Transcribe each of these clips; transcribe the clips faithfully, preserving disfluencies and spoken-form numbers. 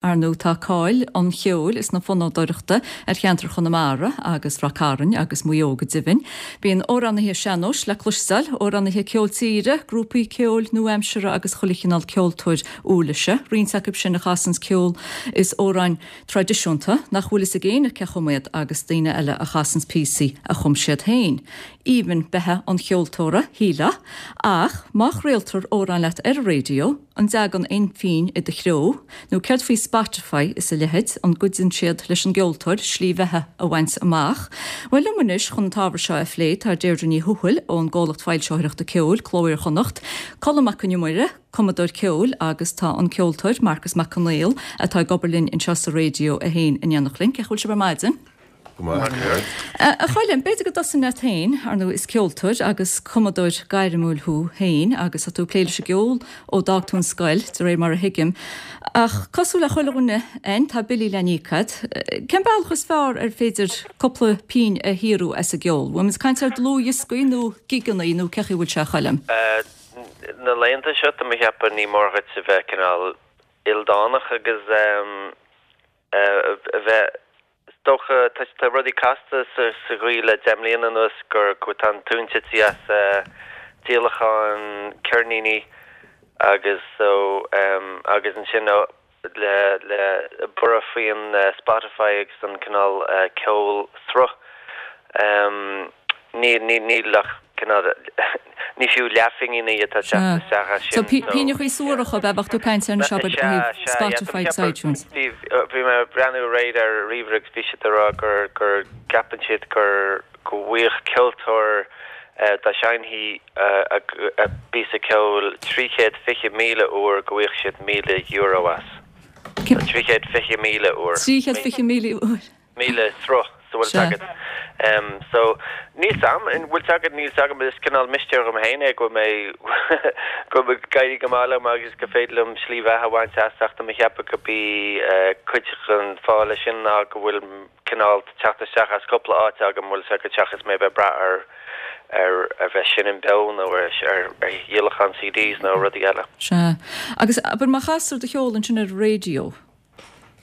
Ar ndóigh tá cáil an cheoil is na fonnadóireachta ar cheantar Chonamara agus Rath Cairn agus Maigh Eo go deimhin. Bíonn amhránaithe sean-nóis le cloisteáil, amhránaithe ceol tíre, grúpaí ceoil nua-aimseartha agus chuile chineál ceoltóir uirlise, roinnt acu sin a chasanns ceol is amhráin traidisiúnta nach bhfuil fhios ag éinne cé chum iad agus daoine eile a chasanns píosaí a chum siad féin. Aoibhinn beatha an cheoltóra, shílfeá, ach má chraoltar amhrán leat ar an raidió, an dtagann aon phingin i do threo, nó céard faoi Spotify is a leithéid, an gcuidíonn siad leis an gceoltóir slí bheatha a bhaint amach? Bhuel liom anois chun an t-ábhar seo a phlé tá Deirdre Ní Thuathail ón gcomhlacht foilsitheoireachta ceoil, Cló Iar-Chonnacht, Colm Mac Con Iomaire, cumadóir ceoil agus tá an ceoltóir Marcus Mac Conghail atá ag obair linn anseo sa Raidió a haon in éineacht linn. Cén chaoi a bhfuil sibh ar maidin? Go maith, Céard? A Choilm, b'fhéidir go dtosóinn leat féin, ar ndóigh is ceoltóir agus cumadóir gairmiúil thú féin agus tá tú ag plé leis an gceol ó d'fhág tú an scoil, de réir mar a thuigim. Ach cosúil le chuile dhuine againn, tá billí le n-íoc agat. Cén bealach is fearr ar féidir cúpla pingin a shaothrú as an gceol? Bhfuil muid ag caint ar dlúthdhioscaí nó gigeanna nó cén chaoi a bhfuil sé a Choilm? Na laethanta seo tá mé ag ceapadh ní mór dhuit a bheith cineál ildánach agus a bheith Is dócha, tá rudaí casta sa gcaoi le deich mbliana anuas gur go tá an tóin tite as díolachán ceirníní agus so agus ansin le le borradh faoin Spotify agus an cineál ceol sruth. Níl níl ach cineál ní fiú leathphingin atá ag teacht isteach as sin. So pingineachaí suaracha ab ea bheadh tú ag caint air anois abair ó thaobh Spotify agus iTunes. Bhí bhí mé ag breathnú aréir ar ríomhaire agus bhí siad ag rá gur gur gceapann siad gur go bhfaigheadh ceoltóir dá seinnfí a bpíosa ceoil trí chéad fiche míle uair go bhfaigheadh siad míle euro as. Trí chéad fiche míle uair. Trí chéad fiche míle uair. míle sruth so bhfuil Sea. agat. So níl 's a'm, an bhfuil agat, níl 's agam, is cineál mistéir dhom féin é go bhfuil mé go bhfuil ag éirí go maith liom agus go féidir liom slí bheatha a bhaint as ach tá mé ag ceapadh go b'í cuid den fáth leis sin ná go bhfuil cineál teacht isteach as cúpla áit agam bhfuil 's agat seachas mé a bheith ag brath ar ar a bheith ag seinm beo nó ar ar dhíolachán CDs nó rudaí eile. Sea. Agus abair má chastar do cheol ansin ar an raidió,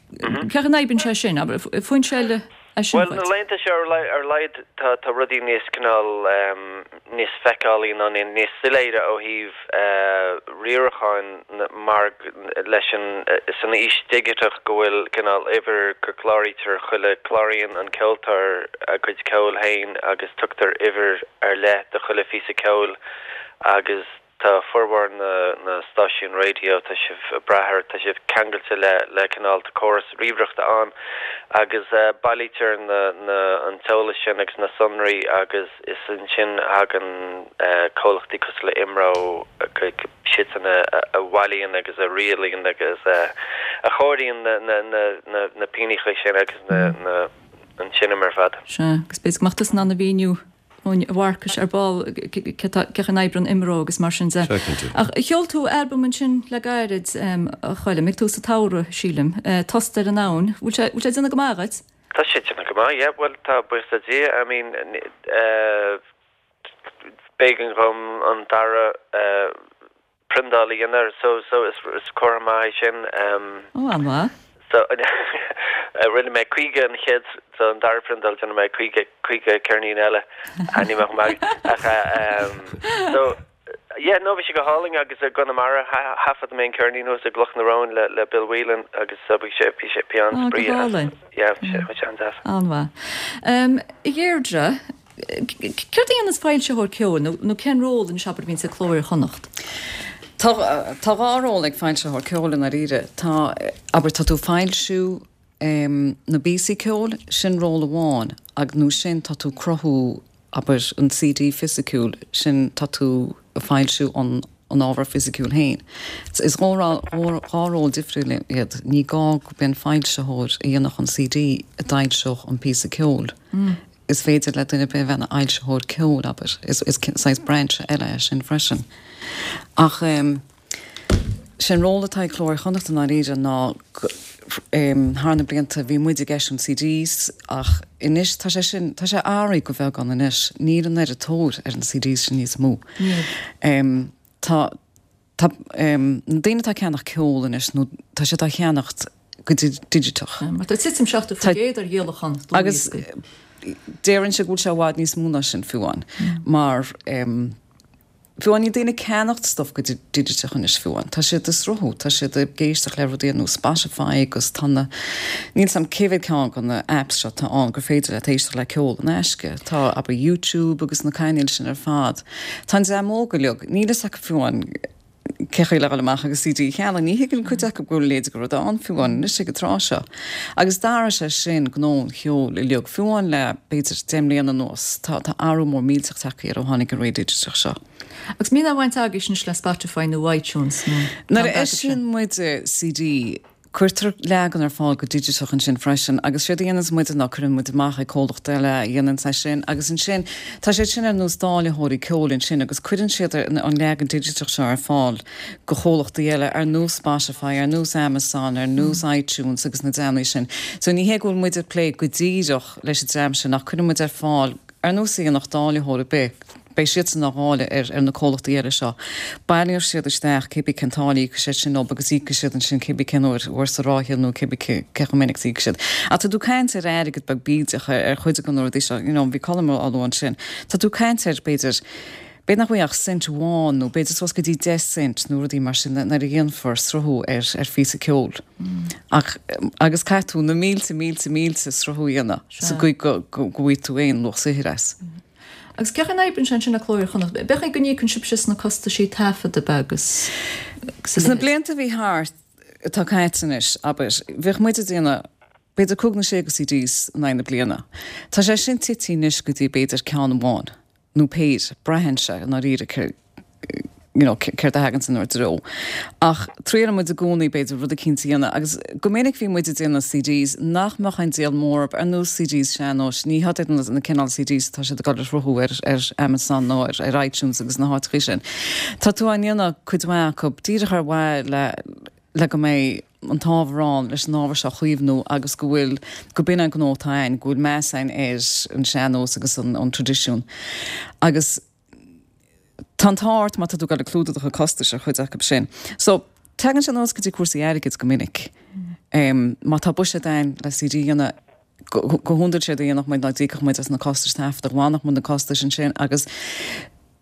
Cén chaoi a n-oibríonn sé sin? Abair, foinse eile é sin Bhuel, na dhuit? laethanta seo ar ar laghad tá tá rudaí níos cineál níos feiceálaí nó níos soiléire ó thaobh riaracháin mar leis an san aois dhigiteach go bhfuil cineál uimhir go gcláraítear chuile cláraíonn an ceoltóir a gcuid ceoil féin agus tugtar uimhir ar leith do chuile phíosa ceoil agus Tá formhór na na stáisiún raidió, tá sibh ag brath ar, tá sibh ceangailte le le cineál córas ríomhaireachta ann agus bailítear na na an t-eolas sin agus na sonraí agus is ansin a thagann comhlachtaí cosúil le IMRO siadsan a a bhailíonn agus a rialaíonn agus a a chomhairíonn na na na na na pingineacha sin agus na na an seinm ar fad. Sea, agus b'fhéidir go mbeadh tusa in ann a mhíniú dúinn a Mharcais ar ball cé chaoi a n-oibríonn IMRO agus mar sin de. Sea, cinnte. Ach sheol tú albam ansin le gairid, a Choilm, ag tús an tsamhraidh, sílim, Tost ar an Abhainn. Bhfuil sé, bhfuil sé ag déanamh go maith dhuit? Tá sé ag déanamh go maith, yeah, bhuel tá, buíochas le Dia, I mean, b'éigean dhom an dara priondáil a dhéanamh so so is is comhartha maith é sin. Ó, an-mhaith. So rinne mé caoga an chéad so an dara priondáil déanfaidh mé caoga caoga ceirnín eile ní bheadh maith ach so yeah no bhí sé go hálainn agus i gConamara thaifead mé an ceirnín thuas i gCloch na Rón le le Bill Whelan agus so bhí sé bhí sé bhí Ó, go an-spraoi as hálainn. yeah bhí sé bhí sé an-deas. An-mhaith. A Dheirdre, Céard a dhéananns foilsitheoir ceoil nó nó cén ról anois abair a bhíonns ag Cló Iar-Chonnacht? Tá tá dhá ról ag foilsitheoir ceoil i ndáiríre. Tá, abair, tá tú ag foilsiú na bpíosaí ceoil, sin ról amháin, ag nó sin tá tú ag cruthú, abair, an CD fisiciúil, sin tá tú ag foilsiú an an ábhar fisiciúil féin. Is dhá dhá ról difriúil iad. Ní gá gurb é an foilsitheoir a dhéanfadh an CD a d'fhoilseodh an píosa ceoil. Is féidir le duine ar bith a bheith ina fhoilsitheoir ceoil, abair. Is saghas brainse eile é sin freisin. Ach sé'n ról atá ag Cló Iar-Chonnacht i ndáiríre ná thar na blianta bhí muid ag eisiúint CDs ach anois tá sé sin, tá sé athraithe go beagán anois. Níl an oiread tóir ar an CDs sin níos mó. Tá, tá, na daoine atá ag ceannach ceol anois nó tá siad á cheannacht go digiteach. Mar tá titim seachtó faoin gcéad ar dhíolachán Agus deireann sé go bhfuil sé i bhfad níos mó ná sin fiú amháin mar fiú amháin níl daoine ag ceannacht stuff go digiteach anois fiú amháin. Tá siad ag sruthú, tá siad ag éisteacht le rudaí ar nós Spotify agus tá na, níl 's a'm cé mhéad ceann de na apps seo atá ann gur féidir leat éisteacht le ceol in aisce. Tá abair YouTube agus na cainéil sin ar fad. Tá an dream óg uilig, níl fhios acu fiú amháin cé chaoi le dhul amach agus C D a cheannach, ní thuigeann cuid acu go bhfuil a leithéid de rud ann fiú amháin anois ag an tráth seo. Agus d'athraigh sé sin gnó an cheoil uilig, fiú amháin le b'fhéidir deich mbliana anuas, tá tá athrú mór millteach tagtha air ó tháinig an ré digiteach seo. Agus mbíonn aon bhaint agaibh anois le Spotify nó iTunes nó Nuair a eisíonn muid C D, cuirtear leagan ar fáil go digiteach ansin freisin, agus séard a dhéananns muide ná cuireann muid amach ag comhlacht eile a dhéananns é sin, agus ansin tá siad sin ar nós dáilitheoirí ceoil ansin agus cuireann siad an leagan digiteach seo ar fáil go chomhlachtaí eile ar nós Spotify, ar nós Amazon, ar nós iTunes agus na dreamanna sin. So ní hé go bhfuil muid ag plé go díreach leis an dream sin ach cuireann muid ar fáil ar nós aonach dáilitheoir ar bith. Beidh siadsan á dháileadh ar ar na comhlachtaí eile seo. Baileoidh siad isteach cébí cén táille íocfaidh siad sin leo agus íocfaidh siad ansin cébí cén uair uair sa ráithe nó cébí cé chomh minic is íocfaidh siad. Ach tá tú caint ar airgead beag bídeach ar ar chuid de na rudaí seo, you know, bhí Colm á lua ansin. Tá tú caint ar b'fhéidir b'fhéidir nach bhfuil ach cent amháin nó b'fhéidir suas go dtí deich cent nó rudaí mar sin nuair a dhéanfar sruthú ar ar phíosa ceoil. Ach agus caithfidh tú na mílte mílte mílte sruthú a dhéanamh sa gcaoi go go go bhfaighidh tú aon luach saothair as. Agus cén chaoi a n-oibríonn sé ansin le Cló Iar-Chonnacht? B'fhéidir go n-íocann sibhse sna costaisí taifeadta agus Sna blianta a bhí thart atá caite anois, abair, bheadh muid ag déanamh b'fhéidir cúig nó sé de C Ds in aghaidh na bliana. Tá sé sin tite anois go dtí b'fhéidir ceann amháin nó péire, braitheann sé i ndáiríre you know, céard a thagann inár dtreo. Ach triaileann muid i gcónaí b'fhéidir rud eicínt a dhéanamh agus go minic bhí muid ag déanamh C Ds nach mbeadh aon díol mór ar nós C Ds sean-nóis, ní hiad na, na cineál C Ds atá siad ag dul a shruthú ar, ar Amazon nó ar, ar iTunes agus na háiteacha sin. Tá tú á ndéanamh cuid mhaith acu díreach ar mhaithe le le go mbeidh an t-ábhar ann leis an ábhar seo a chaomhnú agus go bhfuil go b'in an gnó atá ann, go bhfuil meas ann ar an sean-nós agus an, an traidisiún. Agus tá an t-art má tá tú ag clúdach a costais ar chuid acu sin. So tagann sé anuas go dtí cúrsaí airgid go minic. Um, má tá buiséad ann le C D a dhéanamh go go hiondúil séard a dhéanfadh muid ná d'íocfadh muid as na costais taifeadta, bhainfeadh muid na costais ansin agus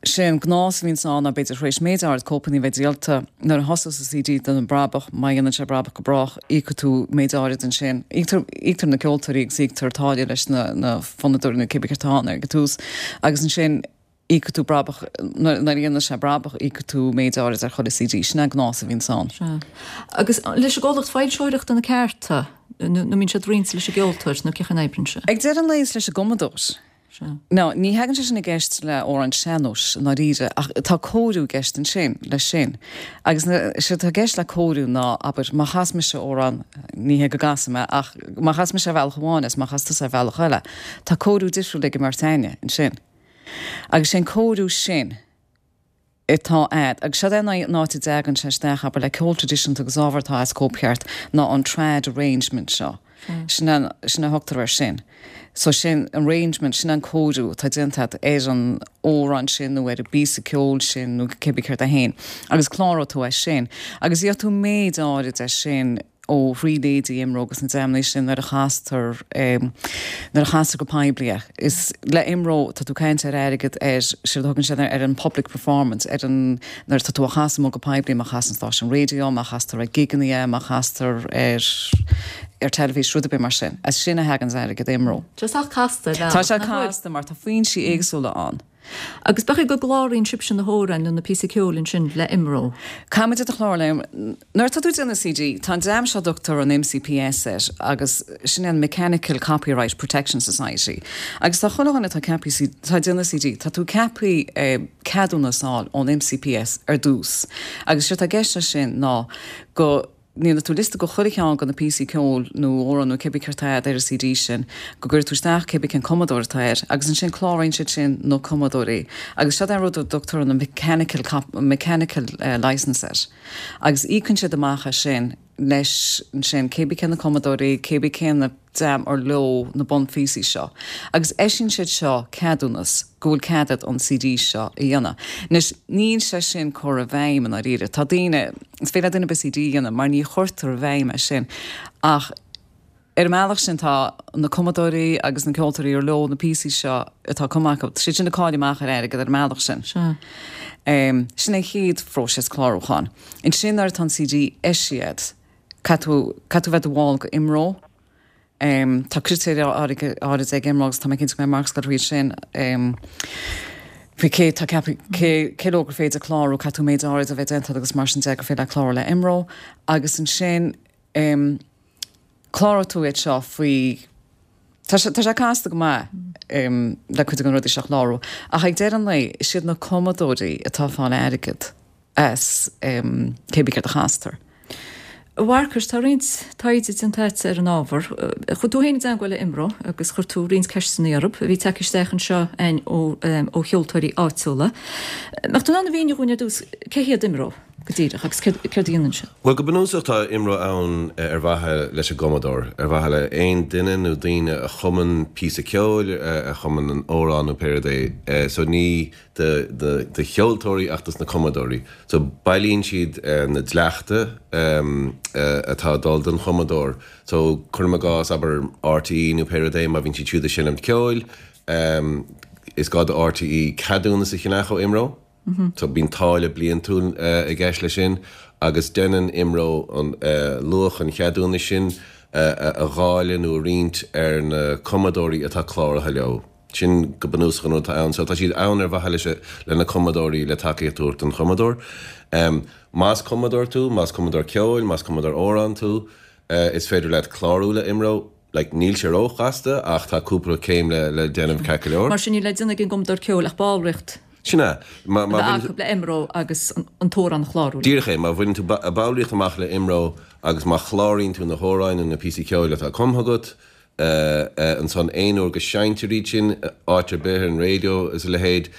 sé an gnás a bhíonn ann ná b'fhéidir tar éis méid áirid cóipeanna bheith díolta nuair a thosós an C D don brabach má dhéanann sé brabach go brách íocfaidh tú méid áirid ansin. Íoctar íoctar na ceoltóirí agus íoctar táille leis na na fonnadóirí nó cibé céard atá ann ar an tús agus ansin íocfaidh tú brabach nuair a dhéanann sé brabach íocfaidh tú méid áirid ar chuile C D sin an gnás a bhíonn ann. Sea. Agus leis an gcomhlacht foilsitheoireachta na cearta nó mbíonn siad roinnte leis an gceoltóir nó cén chaoi a n-oibríonn sé? Ag deireadh an lae is leis an gcumadóir. Sea. No, ní thagann sé sin i gceist le amhrán sean-nóis i ndáiríre ach tá cóiriú i gceist ansin leis sin. Agus sé tá i gceist le cóiriú ná abair má chas mise amhrán ní hé go gcasfaidh mé ach má chas mise ar bhealach amháin is má chas tusa ar bhealach eile, tá cóiriú difriúil ag an mbeirt againne ansin. Agus sé an cóiriú sin atá a'd agus seo an áit a dtagann sé isteach abair le ceol traidisiúnta agus ábhar atá as cóipcheart ná an trad arrangement seo. Sin an sin a thugtar air sin. So sin arrangement sin an cóiriú atá déanta ar an amhrán sin nó ar an bpíosa ceoil sin nó cibé céard é féin. Agus cláróidh tú é sin. Agus gheobhaidh tú méid áirid é sin ó thrí leithéidí IMRO agus na dreamanna sin nuair a chastar um, nuair a chastar go poiblí. Is le IMRO tá tú caint ar airgead ar sé thugann sé ar an public performance ar an nuair tá tú a chasadh go poiblí má chasann stáisiún raidió, má chastar ag gigeanna, má chastar ar ar teilifís rud ar bith mar sin. As sin a thagann airgead IMRO. Tá sé casta Tá sé casta mar tá foinsí éagsúla ann. Agus b'fhéidir go gcláraíonn sibhse na hamhráin nó na píosaí ceoil ansin le IMRO. Caithfimid a chlár le nuair tá tú déanamh C D, tá an dream seo a dtugtar an M C P S air agus sin an Mechanical Copyright Protection Society. Agus tá chuile dhuine atá ceaptha tá déanamh C D, tá tú ceaptha eh, ceadúnas a fháil ón M C P S ar dtús. Agus sé tá i gceist sin ná go ndéanfaidh tú liosta de chuile cheann de na píosaí ceoil nó amhrán nó cibé céard atá ar an C D sin, go gcuirfidh tú isteach cibé cén cumadóir atá air, agus ansin cláraíonn siad sin na cumadóirí. Agus seo an rud a dtugtar an mechanical, mechanical uh, license air. Agus íocann siad amach é sin leis ansin cébí cé na cumadóirí, cébí cé na dream ar leo na bunphíosaí seo. Agus eisíonn siad seo ceadúnas go bhfuil cead agat an CD seo a dhéanamh. Anois níl sé sin curtha i bhfeidhm i ndáiríre. Tá daoine, is féidir le duine ar bith CD a dhéanamh mar ní chuirtear i bhfeidhm é sin. Ach ar an mbealach sin tá na cumadóirí agus na ceoltóirí ar leo na píosaí seo atá cumtha acu, tá siad sin ag cailleadh amach ar airgead ar an mbealach sin. Sea. Um, sin é chéad phróiseas clárúcháin. Ansin nuair atá an CD eisithe, caithfidh tú caithfidh tú bheith i do bhall go IMRO. Um, tá critéir áirid ag IMRO agus tá mé cinnte go mbeidh Marcus ag gabháil thríd sin. Um, faoi cé tá ceaptha cé cé leo gur féidir clárú, caithfidh tú méid áirid a bheith déanta agus mar sin de gur féidir leat clárú le IMRO agus ansin um, cláróidh tú iad seo faoi Tá sé tá sé casta go maith um, le cuid de na rudaí seo a chlárú ach ag deireadh an lae is iad na cumadóirí atá ag fáil airgead as um, cébí céard a chastar. A Mharcais, tá roinnt taighde déanta agat ar an ábhar. Chuaigh tú féin i dteagmháil le IMRO agus chuir tú roinnt ceisteanna orthu a bhí tagtha isteach anseo againn ó, ó cheoltóirí áitiúla. Mbeadh tú in ann a mhíniú dhúinn ar dtús cé hiad IMRO go díreach agus céard a dhéanann siad? Bhuel, go bunúsach tá IMRO ann ar mhaithe leis an gcumadóir, ar mhaithe le aon duine nó daoine a chumann píosa ceoil, a chumann an amhrán nó pé rud é. So ní do do do cheoltóirí ach dos na cumadóirí. So bailíonn siad na dleachta atá ag dul don chumadóir. So cuirim i gcás, abair RTÉ nó pé rud é, má bhíonn siad siúd ag seinm ceoil, is gá do RTÉ ceadúnas a cheannach ó IMRO. So bíonn táille bliantúil i gceist leis sin agus déanann IMRO an luach an cheadúnais sin a dháileadh nó a roinnt ar na cumadóirí atá cláraithe leo. Sin go bunúsach an rud atá ann. So tá siad ann ar mhaithe leis le na cumadóirí le tacaíocht a thabhairt don chumadóir. Más cumadóir tú, más cumadóir ceoil, más cumadóir amhrán tú, is féidir leat clárú le IMRO. Like níl sé róchasta ach tá cúpla céim le le déanamh ceart go leor. Mar sin níl le déanamh ag an gcumadóir ceoil ach ballraíocht Sin é. Má má bheith acu le IMRO agus an t-amhrán a chlárú. Díreach é, má bhaineann tú ballraíocht amach le IMRO agus má chláraíonn tú na hamhráin nó na píosaí ceoil atá cumtha agat, Ansan aon uair go seinntear iad sin áit ar bith ar an raidió is a leithéid,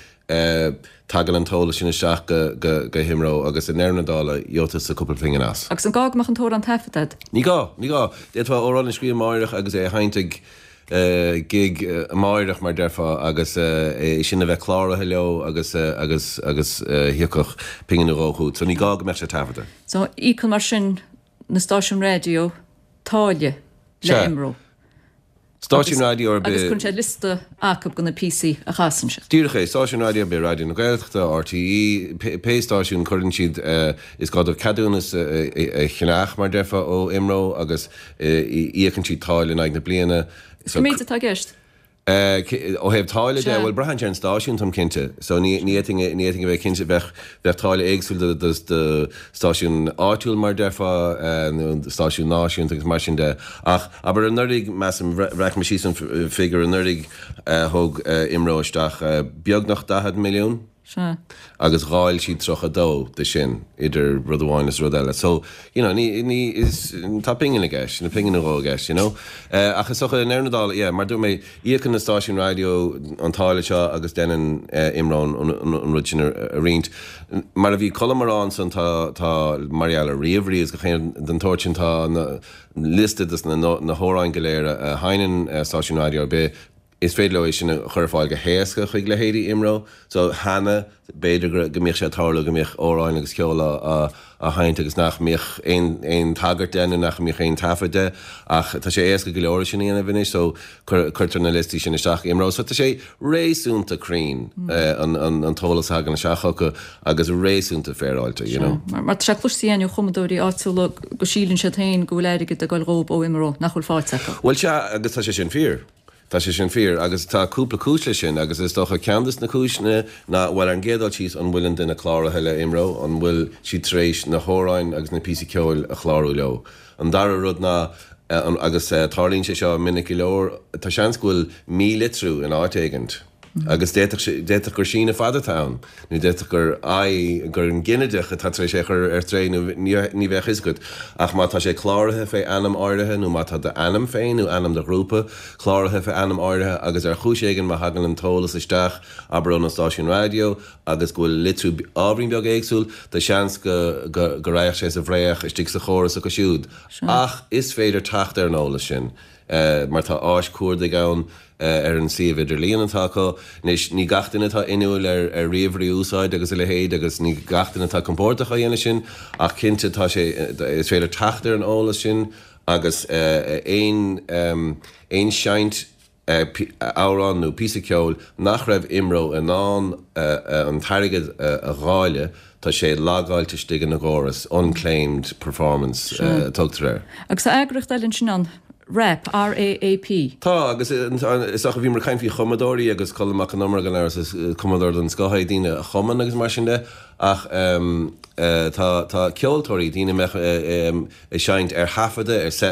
tagann an t-eolas sin isteach go hIMRO agus i ndeireadh na dála gheobhaidh tusa cúpla pingin as. Agus an gá go mbeadh an t-amhrán taifeadta agat? Ní gá, ní gá. D'fhéadfá amhrán a scríobh amáireach agus é a sheinnt ag gig amáireach mar déarfá agus é sin a bheith cláraithe leo agus agus agus thiocfadh pingin nó dhó chugat. So ní gá go mbeadh sé taifeadta. So íocann mar sin na stáisiúin raidió táille le Sea. IMRO. Stáisiún raidió ar Agus bith. cuireann siad liosta acu de na píosaí a chasann siad. Díreach é, stáisiún raidió ar bith, Raidió na Gaeltachta, RTÉ, pé stáisiún, cuireann siad, is gá dóibh ceadúnas a cheannach, mar déarfá, ó IMRO agus íocann siad táille in aghaidh na bliana. Cén méid atá i gceist? Ó thaobh táille de, bhuel, braitheann sé ar an stáisiún, táim cinnte. So ní fhéadfainn ní fhéadfainn a bheith cinnte, bheadh bheadh táille éagsúil do do do stáisiún áitiúil mar déarfá, nó stáisiún náisiúnta agus mar sin de. Ach abair anuraidh, measaim, bhreac mé síos an figiúr anuraidh, thóg IMRO isteach beagnach daichead milliún. Sea. Agus dháil siad tríocha dó de sin idir rud amháin is rud eile. So, you know, ní, ní, is, tá pingin i gceist, nó pingin nó dhó i gceist, you know. Ach is dócha i ndeireadh na dála, yeah, mar dúirt mé, íocann na stáisiúin raidió an táille seo agus déanann IMRO an, an, an rud sin a, a roinnt. Mar a bhí Colm a rá ansan, tá, tá, mar gheall ar ríomhairí agus gach aon den tsórt sin, tá na, liosta de na, na hamhráin go léir a, a sheinneann stáisiún raidió ar bith, Is féidir leo é sin a chur ar fáil go héasca chuig leithéidí IMRO. So cheana, b'fhéidir go mbíodh sé ag tarlú go mbíodh amhráin agus ceol á sheinnt agus nach mbíodh aon aon tagairt de nó nach mbíodh aon taifead de ach tá sé éasca go leor é sin a dhéanamh anois so cuirtear na liostaí sin isteach IMRO. So tá sé réasúnta cruinn an an t-eolas a thagann isteach chucu agus réasúnta féaráilte, you know. Mar tá sé cloiste againn ó chumadóirí áitiúla go síleann siad féin go bhfuil airgead ag dul dhóibh ó IMRO nach bhfuil faighte acu. Bhuel sea agus tá sé sin fíor. Tá sé sin fíor, agus tá cúpla cúis leis sin, agus is dócha ceann de na cúiseanna ná, bhuel, ar an gcéad dul síos, an bhfuil an duine cláraithe le IMRO, an bhfuil siad tar éis na hamhráin agus na píosaí ceoil a chlárú leo. An dara rud ná, agus tarlaíonn sé seo minic go leor, tá seans go bhfuil mílitriú in áit éigint. Agus d'fhéadfadh gur síneadh fada atá ann, nó d'fhéadfadh gur I, gur an ginideach atá tar éis é a chur ar strae nó ní bheadh fhios agat. Ach má tá sé cláraithe fé ainm áirithe nó má tá d'ainm féin nó ainm do ghrúpa cláraithe fé ainm áirithe agus ar chúis éigin má thagann an t-eolas isteach, abair ón stáisiún raidió agus go bhfuil litriú ábhairín beag éagsúil, tá seans go go raghadh sé sa bhfraoch istigh sa chóras acu siúd. Ach is féidir teacht ar an eolas sin mar tá áis cuardaigh ann ar an suíomh idirlíon atá acu. Anois, ní gach duine atá inniúil ar ar ríomhairí a úsáid agus a leithéid agus ní gach duine atá compordach á dhéanamh sin ach cinnte tá sé, is féidir teacht ar an eolas sin agus aon aon seinnt amhrán nó píosa ceoil nach raibh IMRO in ann an t-airgead a dháileadh, tá sé logáilte istigh ina gcóras, unclaimed performance a tugtar air. Agus tá eagraíocht eile ansin ann, RAAP, R-A-A-P. Tá, agus is dócha, bhíomar ag caint faoi chumadóirí agus Colm Mac Con Iomaire gan amhras, is cumadóir den scoth é, daoine a chumann agus mar sin de, ach tá tá ceoltóirí, daoine a mbeadh ag seinnt ar thaifeadadh,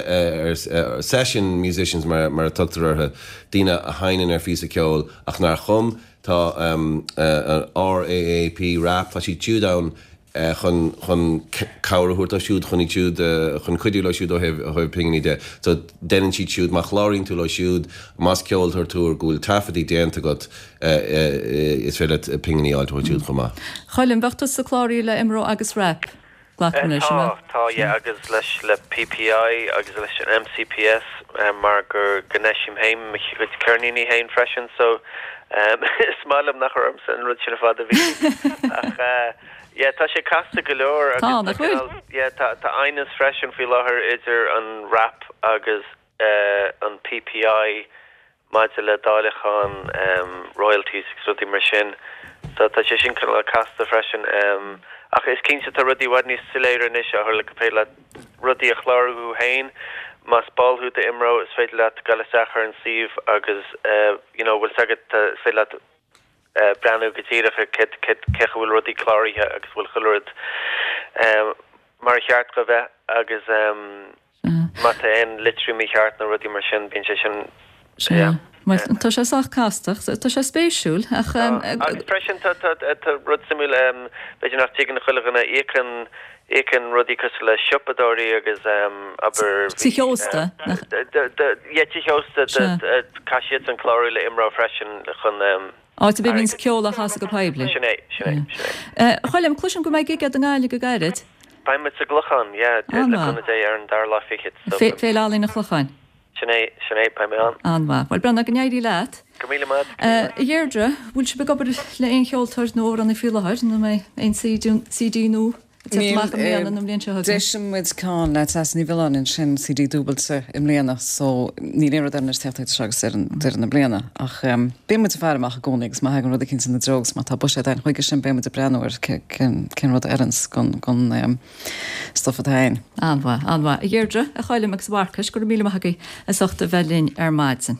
ar session musicians mar mar a tugtar orthu, daoine a sheinneann ar phíosa ceoil ach nár chum, tá an RAAP, RAAP, tá siad siúd ann chun chun cabhair a thabhairt dóibh siúd, chun iad siúd, chun cuidiú leo siúd ó thaobh ó thaobh pinginí de. So deineann siad siúd, má chláraíonn tú leo siúd, más ceoltóir tú go bhfuil taifeadtaí déanta agat, is féidir leat pinginí a fháilt uathu siúd chomh maith. Choilm, bheadh tusa cláraithe le IMRO agus RAAP, glacaim leis, an Tá, mbeadh? tá, yeah, agus leis le PPI agus leis an MCPS mar gur go n-eisím féin mo chuid ceirníní féin freisin so is maith liom nach raibh ormsa an rud sin ar fad a bhí ach Yeah, tá sé casta go leor agus tá cineál, yeah, tá tá aighneas freisin faoi láthair idir an RAAP agus an PPI maidir le dáileachán royalties agus rudaí mar sin. So tá sé sin cineál casta freisin. Ach is cinnte tá rudaí i bhfad níos soiléire anois ó tharla gur féidir leat rudaí a chlárú thú féin. Más ball thú d'IMRO is féidir leat dul isteach ar an suíomh agus you know bhfuil 's agat, is féidir leat breathnú go díreach ar cé chaoi a bhfuil rudaí cláraithe agus bhfuil chuile rud mar a cheart dó bheith agus má tá aon litriú mícheart nó rudaí mar sin, bíonn sé sin, yeah. Bhuel, tá sé sách casta, tá sé spéisiúil ach. Agus freisin tá rud suimiúil, b'fhéidir nach dtuigeann chuile dhuine, íocann Íocann rudaí cosúil le siopadóirí agus abair bhí. Tithe ósta, nach. Yeah, tithe ósta, caithfidh siadsan clárú le IMRO freisin chun. Áit ar bith a mbíonns ceol á chasadh go poiblí. Sin é, sin é, sin é. A Choilm, cloisim go mbeidh gig agat i nGaillimh go gairid. Beidh muid sa gClochán, yeah, le cúnamh Dé ar an dara lá fichead. Féile Ealaíon an Chlocháin. Sin é, sin é, beidh mé ann. An-mhaith. Bhuel, Breandán, go n-éirí leat. Go raibh míle maith agat. A Dheirdre, bhfuil sibh ag obair le aon cheoltóir nó amhránaí faoi láthair nó an mbeidh aon CD nua ag teacht amach i mbliana nó an bhliain seo chugainn? D'eisigh muid ceann le Treasa Ní Mhiolláin ansin, CD dúbailte i mbliana so níl aon rud eile anois ag teacht idir seo agus deireadh na bliana ach bíonn muid ag faire amach i gcónaí agus má thagann rud eicínt ina dtreo agus má tá buiséad againn chuige sin beidh muid ag breathnú ar cén rud a oireanns don stuif atá againn. An-mhaith, an-mhaith. A Dheirdre, a Choilm agus a Mharcais, go raibh míle maith agaibh as ucht a bheith linn ar maidin.